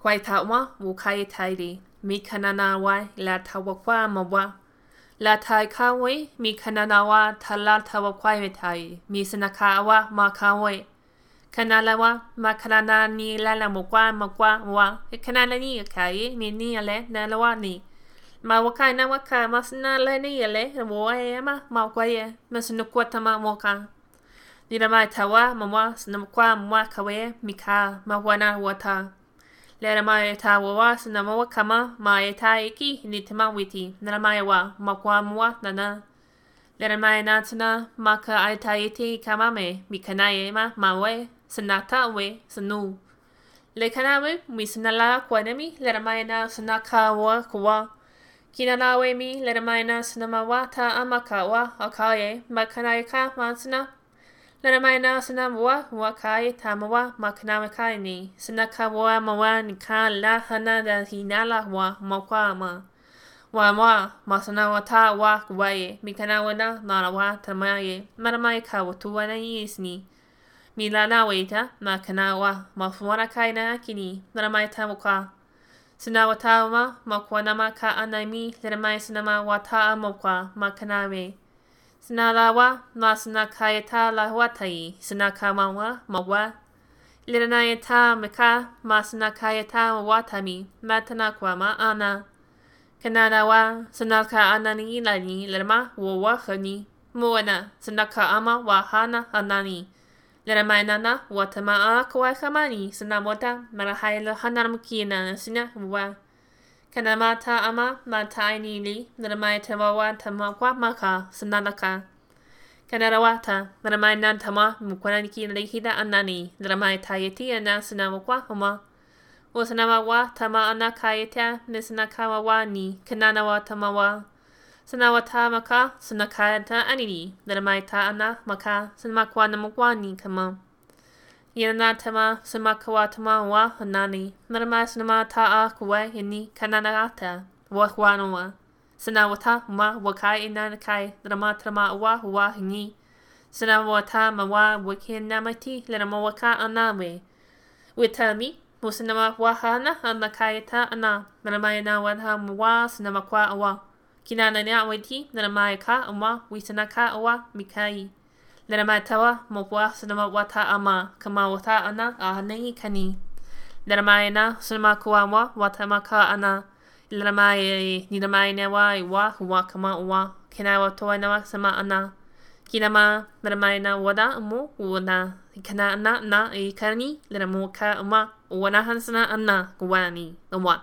Kwaitawa wukaitairi, mi kananawa la tawakwa mawa. La tai kawe, mi kananawa tala tawakwa mi sanakawa ma kawe. Kanalawa ma kanana ni la mokwa makwa wa. Kanana ni kai, mi ni ale na lawa ni. Ma waka na waka masna le ni ale, wa ma ma kwaye, masunukwatama moka. Nira tawa mawa sinamkwa mwa kawe mika mawana wata. Lera mai ta wawa sinamawa kama ma e ta iki ni tama witi. Nera mai wa makwa mwa nana. Lera mai natana maka ai ta iti kamame mi kanae ma mawe sanata we sanu. Le kanawe mi sanala kwanemi lera mai na sanaka wa kwa. Kina nawe mi lera mai na sanamawa ta amaka wa akaye makanae ka mansana. Lera mai na sana wa wa kai tamawa makanawe kai ni. Sanaka wa mawa ni ka la hana da hinala wa makwa ma. Wa wa masana wa ta wa kuwaye. Mikanawa na nara wa tamaye. Maramai ka wa tuwa na isni. Mi la na weta makanawa mafuana kai na akini. Maramai ta waka. Sanawa ta ma makwanama ka anami. Lera mai sanama wa ta amokwa makanawe. Sanalawa, ma sanakayata la huatai, sanakamawa, mawa. Liranayata meka, ma sanakayata watami, matanakwa ma ana. Kanadawa, sanaka anani lani, lerma, wawa hani. Moana, sanaka ama wahana anani. Leramainana, watama a kamani, sanamota, marahaila hanaramkina, sina wa. Kanamata ama mataini li, naramai tamawa tamakwa maka, sanalaka. Kanarawata, naramai nantama, mukwananiki narihida anani, naramai tayeti ana sanamakwa homa. Osanamawa tama ana kayeta, nisanakawa wa ni, kananawa tamawa. Sanawata maka, sanakayata anini, naramai ta ana maka, sanamakwa namakwa ni kama. Yanatama, samakawatama wa hanani, naramai sanama ta a kuwa ini kananata, wa huanoa. Sanawata ma wakai inanakai, naramatama wa wa hini. Sanawata ma wa wakinamati, laramawaka anawe. Witami, musanama wahana anakayata ana, naramayana wadha wa sanamakwa awa. Kinana na witi, naramayaka ama, wisanaka awa, mikai. Leramai mokwa sanama wata ama kama wata ana ahanei kani. Leramai na sanama kuwa wata maka ana. Leramai niramai na wa wa huwa kama wa. Kina wa toa na sama ana. Kinama leramai na wada mo wana. Kana ana na e kani leramu ka ama wana hansana ana kuwani. Wa.